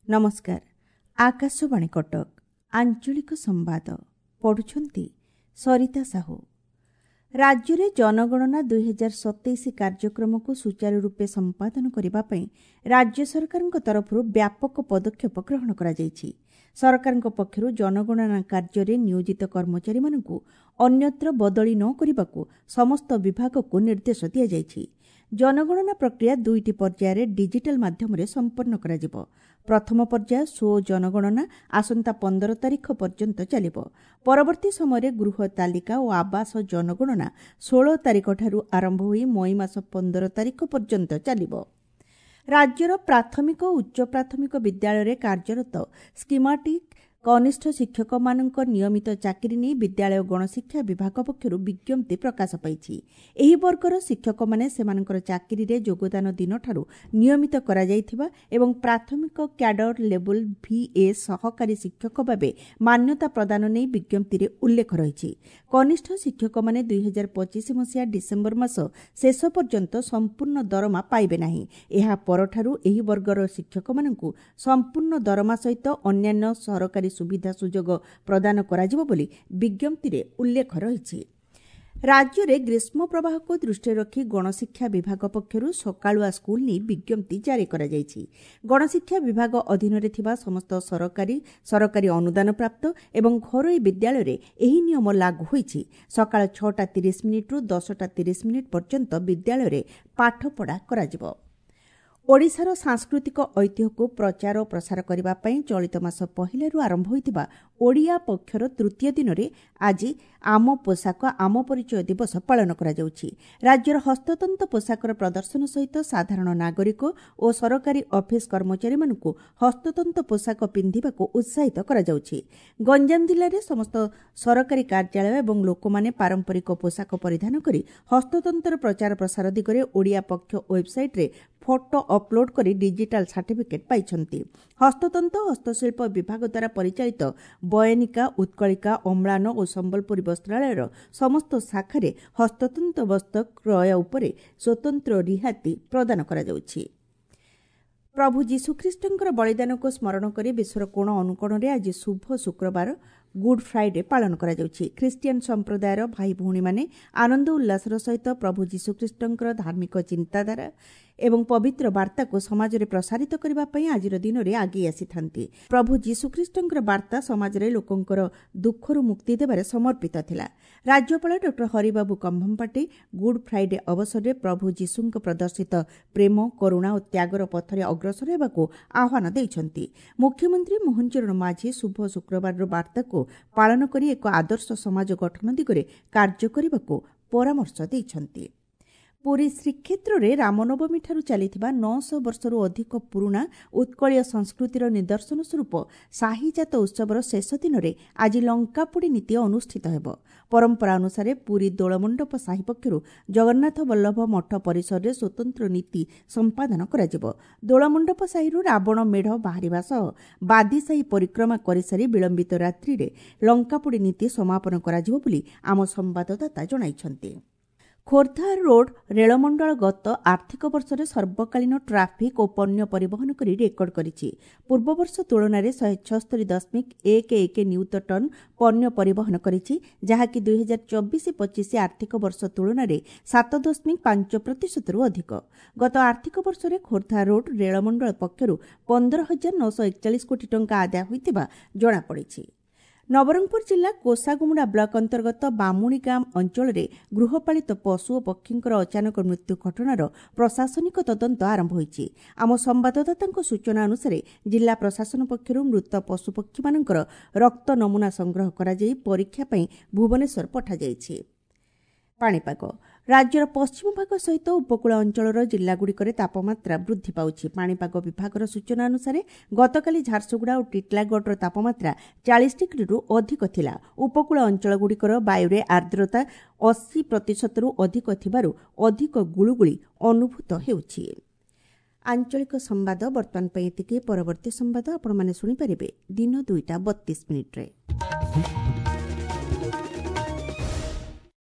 ନମସ୍କାର, ଆକାଶବାଣୀ କଟକ, ଆଞ୍ଚଳିକ ସମ୍ବାଦ ପଢ଼ୁଛନ୍ତି ସରିତା ସାହୁ। ରାଜ୍ୟରେ ଜନଗଣନା 2027 କାର୍ଯ୍ୟକ୍ରମକୁ ସୁଚାରୁ ରୂପେ ସମ୍ପାଦନ କରିବା ପାଇଁ ରାଜ୍ୟ ସରକାରଙ୍କ ତରଫରୁ ବ୍ୟାପକ ପଦକ୍ଷେପ ଗ୍ରହଣ କରାଯାଇଛି। ସରକାରଙ୍କ ପକ୍ଷରୁ ଜନଗଣନା କାର୍ଯ୍ୟରେ ନିୟୋଜିତ କର୍ମଚାରୀମାନଙ୍କୁ ଅନ୍ୟତ୍ର ବଦଳି ନ କରିବାକୁ ସମସ୍ତ ବିଭାଗକୁ ନିର୍ଦ୍ଦେଶ ଦିଆଯାଇଛି। ଜନଗଣନା ପ୍ରକ୍ରିୟା ଦୁଇଟି ପର୍ଯ୍ୟାୟରେ ଡିଜିଟାଲ୍ ମାଧ୍ୟମରେ ସମ୍ପନ୍ନ କରାଯିବ। ପ୍ରଥମ ପର୍ଯ୍ୟାୟ ସ୍ୱ ଜନଗଣନା ଆସନ୍ତା 15 ତାରିଖ ପର୍ଯ୍ୟନ୍ତ ଚାଲିବ। ପରବର୍ତ୍ତୀ ସମୟରେ ଗୃହ ତାଲିକା ଓ ଆବାସ ଜନଗଣନା 16 ତାରିଖଠାରୁ ଆରମ୍ଭ ହୋଇ ମଇ ମାସ 15 ତାରିଖ ପର୍ଯ୍ୟନ୍ତ ଚାଲିବ। ରାଜ୍ୟର ପ୍ରାଥମିକ ଓ ଉଚ୍ଚ ପ୍ରାଥମିକ ବିଦ୍ୟାଳୟରେ କାର୍ଯ୍ୟରତ ସ୍କିମାଟିକ୍ କନିଷ୍ଠ ଶିକ୍ଷକମାନଙ୍କ ନିୟମିତ ଚାକିରି ନେଇ ବିଦ୍ୟାଳୟ ଗଣଶିକ୍ଷା ବିଭାଗ ପକ୍ଷରୁ ବିଜ୍ଞପ୍ତି ପ୍ରକାଶ ପାଇଛି। ଏହି ବର୍ଗର ଶିକ୍ଷକମାନେ ସେମାନଙ୍କର ଚାକିରିରେ ଯୋଗଦାନ ଦିନଠାରୁ ନିୟମିତ କରାଯାଇଥିବା ଏବଂ ପ୍ରାଥମିକ କ୍ୟାଡର ଲେବୁଲ୍ ଭିଏ ସହକାରୀ ଶିକ୍ଷକ ଭାବେ ମାନ୍ୟତା ପ୍ରଦାନ ନେଇ ବିଜ୍ଞପ୍ତିରେ ଉଲ୍ଲେଖ ରହିଛି। କନିଷ୍ଠ ଶିକ୍ଷକମାନେ 2025 ମସିହା ଡିସେମ୍ବର ମାସ ଶେଷ ପର୍ଯ୍ୟନ୍ତ ସମ୍ପୂର୍ଣ୍ଣ ଦରମା ପାଇବେ ନାହିଁ। ଏହା ପରଠାରୁ ଏହି ବର୍ଗର ଶିକ୍ଷକମାନଙ୍କୁ ସମ୍ପୂର୍ଣ୍ଣ ଦରମା ସହିତ ଅନ୍ୟାନ୍ୟ ସରକାରୀ ସୁବିଧା ସୁଯୋଗ ପ୍ରଦାନ କରାଯିବ ବୋଲି ବିଜ୍ଞପ୍ତିରେ ଉଲ୍ଲେଖ ରହିଛି। ରାଜ୍ୟରେ ଗ୍ରୀଷ୍ମ ପ୍ରବାହକୁ ଦୃଷ୍ଟିରେ ରଖି ଗଣଶିକ୍ଷା ବିଭାଗ ପକ୍ଷରୁ ସକାଳୁଆ ସ୍କୁଲ ନେଇ ବିଜ୍ଞପ୍ତି ଜାରି କରାଯାଇଛି। ଗଣଶିକ୍ଷା ବିଭାଗ ଅଧୀନରେ ଥିବା ସମସ୍ତ ସରକାରୀ, ସରକାରୀ ଅନୁଦାନପ୍ରାପ୍ତ ଏବଂ ଘରୋଇ ବିଦ୍ୟାଳୟରେ ଏହି ନିୟମ ଲାଗୁ ହୋଇଛି। ସକାଳ 6ଟା 30 ମିନିଟ୍ରୁ 10ଟା 30 ମିନିଟ୍ ପର୍ଯ୍ୟନ୍ତ ବିଦ୍ୟାଳୟରେ ପାଠପଢ଼ା କରାଯିବ। ଓଡ଼ିଶାର ସାଂସ୍କୃତିକ ଐତିହ୍ୟକୁ ପ୍ରଚାର ଓ ପ୍ରସାର କରିବା ପାଇଁ ଚଳିତ ମାସ ପହିଲାରୁ ଆରମ୍ଭ ହୋଇଥିବା ଓଡ଼ିଆ ପକ୍ଷର ତୃତୀୟ ଦିନରେ ଆଜି ଆମ ପୋଷାକ ଆମ ପରିଚୟ ଦିବସ ପାଳନ କରାଯାଉଛି। ରାଜ୍ୟର ହସ୍ତତନ୍ତ ପୋଷାକର ପ୍ରଦର୍ଶନ ସହିତ ସାଧାରଣ ନାଗରିକ ଓ ସରକାରୀ ଅଫିସ କର୍ମଚାରୀମାନଙ୍କୁ ହସ୍ତତନ୍ତ ପୋଷାକ ପିନ୍ଧିବାକୁ ଉତ୍ସାହିତ କରାଯାଉଛି। ଗଞ୍ଜାମ ଜିଲ୍ଲାରେ ସମସ୍ତ ସରକାରୀ କାର୍ଯ୍ୟାଳୟ ଏବଂ ଲୋକମାନେ ପାରମ୍ପରିକ ପୋଷାକ ପରିଧାନ କରି ହସ୍ତତନ୍ତର ପ୍ରଚାର ପ୍ରସାର ଦିଗରେ ଓଡ଼ିଆ ପକ୍ଷ ୱେବ୍ସାଇଟ୍ରେ ଫଟୋ ଅପଲୋଡ୍ କରି ଡିଜିଟାଲ ସାର୍ଟିଫିକେଟ୍ ପାଇଛନ୍ତି। ହସ୍ତତନ୍ତ ହସ୍ତଶିଳ୍ପ ବିଭାଗ ଦ୍ୱାରା ପରିଚାଳିତ ବୟନିକା, ଉତ୍କଳିକା, ଅମ୍ଳାନ ଓ ସମ୍ବଲପୁରୀ ବସ୍ତ୍ରାଳୟର ସମସ୍ତ ଶାଖାରେ ହସ୍ତତନ୍ତ ବସ୍ତ୍ର କ୍ରୟ ଉପରେ ସ୍ୱତନ୍ତ୍ର ରିହାତି ପ୍ରଦାନ କରାଯାଉଛି। ପ୍ରଭୁ ଯୀଶୁଖ୍ରୀଷ୍ଟଙ୍କର ବଳିଦାନକୁ ସ୍ମରଣ କରି ବିଶ୍ୱର କୋଣ ଅନୁକୋଣରେ ଆଜି ଶୁଭ ଶୁକ୍ରବାର, ଗୁଡ୍ ଫ୍ରାଇଡେ ପାଳନ କରାଯାଉଛି। ଖ୍ରୀଷ୍ଟିଆନ ସମ୍ପ୍ରଦାୟର ଭାଇ ଭଉଣୀମାନେ ଆନନ୍ଦ ଉଲ୍ଲାସର ସହିତ ପ୍ରଭୁ ଯୀଶୁଖ୍ରୀଷ୍ଟଙ୍କର ଧାର୍ମିକ ଚିନ୍ତାଧାରା ଏବଂ ପବିତ୍ର ବାର୍ତ୍ତାକୁ ସମାଜରେ ପ୍ରସାରିତ କରିବା ପାଇଁ ଆଜିର ଦିନରେ ଆଗେଇ ଆସିଥାନ୍ତି। ପ୍ରଭୁ ଯୀଶୁଖ୍ରୀଷ୍ଟଙ୍କର ବାର୍ତ୍ତା ସମାଜରେ ଲୋକଙ୍କର ଦୁଃଖରୁ ମୁକ୍ତି ଦେବାରେ ସମର୍ପିତ ଥିଲା। ରାଜ୍ୟପାଳ doctor Haribabu Kambhampati good Friday ଅବସରରେ ପ୍ରଭୁ ଯୀଶୁଙ୍କ ପ୍ରଦର୍ଶିତ ପ୍ରେମ, କରୁଣା ଓ ତ୍ୟାଗର ପଥରେ ଅଗ୍ରସର ହେବାକୁ ଆହ୍ୱାନ ଦେଇଛନ୍ତି। ମୁଖ୍ୟମନ୍ତ୍ରୀ ମୋହନ ଚରଣ ମାଝୀ ଶୁଭ ଶୁକ୍ରବାରର ବାର୍ତ୍ତାକୁ ପାଳନ କରି ଏକ ଆଦର୍ଶ ସମାଜ ଗଠନ ଦିଗରେ କାର୍ଯ୍ୟ କରିବାକୁ ପରାମର୍ଶ ଦେଇଛନ୍ତି। ପୁରୀ ଶ୍ରୀକ୍ଷେତ୍ରରେ ରାମନବମୀଠାରୁ ଚାଲିଥିବା 900 ବର୍ଷରୁ ଅଧିକ ପୁରୁଣା ଉତ୍କଳୀୟ ସଂସ୍କୃତିର ନିଦର୍ଶନ ସ୍ୱରୂପ ସାହିଯାତ ଉତ୍ସବର ଶେଷ ଦିନରେ ଆଜି ଲଙ୍କାପୋଡ଼ି ନୀତି ଅନୁଷ୍ଠିତ ହେବ। ପରମ୍ପରା ଅନୁସାରେ ପୁରୀ ଦୋଳମଣ୍ଡପ ସାହି ପକ୍ଷରୁ ଜଗନ୍ନାଥ ବଲ୍ଲଭ ମଠ ପରିସରରେ ସ୍ୱତନ୍ତ୍ର ନୀତି ସମ୍ପାଦନ କରାଯିବ। ଦୋଳମଣ୍ଡପ ସାହିରୁ ରାବଣ ମେଢ଼ ବାହାରିବା ସହ ବାଦିସାହି ପରିକ୍ରମା କରିସାରି ବିଳମ୍ବିତ ରାତ୍ରିରେ ଲଙ୍କାପୋଡ଼ି ନୀତି ସମାପନ କରାଯିବ ବୋଲି ଆମ ସମ୍ବାଦଦାତା ଜଣାଇଛନ୍ତି। ଖୋର୍ଦ୍ଧା ରୋଡ୍ ରେଳମଣ୍ଡଳ ଗତ ଆର୍ଥିକ ବର୍ଷରେ ସର୍ବକାଳୀନ ଟ୍ରାଫିକ୍ ଓ ପଣ୍ୟ ପରିବହନ କରି ରେକର୍ଡ କରିଛି। ପୂର୍ବବର୍ଷ ତୁଳନାରେ 176.11 ନିୟୁତ ଟନ୍ ପଣ୍ୟ ପରିବହନ କରିଛି, ଯାହାକି 2024-25 ଆର୍ଥିକ ବର୍ଷ ତୁଳନାରେ 7.5 ପ୍ରତିଶତରୁ ଅଧିକ। ଗତ ଆର୍ଥିକ ବର୍ଷରେ ଖୋର୍ଦ୍ଧା ରୋଡ୍ ରେଳମଣ୍ଡଳ ପକ୍ଷରୁ 15,941 କୋଟି ଟଙ୍କା ଆଦାୟ ହୋଇଥିବା ଜଣାପଡ଼ିଛି। ନବରଙ୍ଗପୁର ଜିଲ୍ଲା କୋଷାଗୁମୁଡ଼ା ବ୍ଲକ ଅନ୍ତର୍ଗତ ବାମୁଣିଗାଁ ଅଞ୍ଚଳରେ ଗୃହପାଳିତ ପଶୁ ଓ ପକ୍ଷୀଙ୍କର ଅଚାନକ ମୃତ୍ୟୁ ଘଟଣାର ପ୍ରଶାସନିକ ତଦନ୍ତ ଆରମ୍ଭ ହୋଇଛି। ଆମ ସମ୍ବାଦଦାତାଙ୍କ ସୂଚନା ଅନୁସାରେ ଜିଲ୍ଲା ପ୍ରଶାସନ ପକ୍ଷରୁ ମୃତ ପଶୁପକ୍ଷୀମାନଙ୍କର ରକ୍ତ ନମୁନା ସଂଗ୍ରହ କରାଯାଇ ପରୀକ୍ଷା ପାଇଁ ଭୁବନେଶ୍ୱର ପଠାଯାଇଛି। ପାଣିପାଗ: ରାଜ୍ୟର ପଶ୍ଚିମ ଭାଗ ସହିତ ଉପକୂଳ ଅଞ୍ଚଳର ଜିଲ୍ଲାଗୁଡ଼ିକରେ ତାପମାତ୍ରା ବୃଦ୍ଧି ପାଉଛି। ପାଣିପାଗ ବିଭାଗର ସୂଚନା ଅନୁସାରେ ଗତକାଲି ଝାରସୁଗୁଡ଼ା ଓ ଟିଟିଲାଗଡ଼ର ତାପମାତ୍ରା 40 ଡିଗ୍ରୀରୁ ଅଧିକ ଥିଲା। ଉପକୂଳ ଅଞ୍ଚଳଗୁଡ଼ିକର ବାୟୁରେ ଆର୍ଦ୍ରତା 80 ପ୍ରତିଶତରୁ ଅଧିକ ଥିବାରୁ ଅଧିକ ଗୁଳୁଗୁଳି ଅନୁଭୂତ ହେଉଛି। ଆଞ୍ଚଳିକ ସମ୍ବାଦ ବର୍ତ୍ତମାନ ପାଇଁ ଏତିକି। ପରବର୍ତ୍ତୀ ସମ୍ବାଦ ଆପଣମାନେ ଶୁଣିପାରିବେ ଦିନ 2ଟା 32 ମିନିଟ୍ରେ।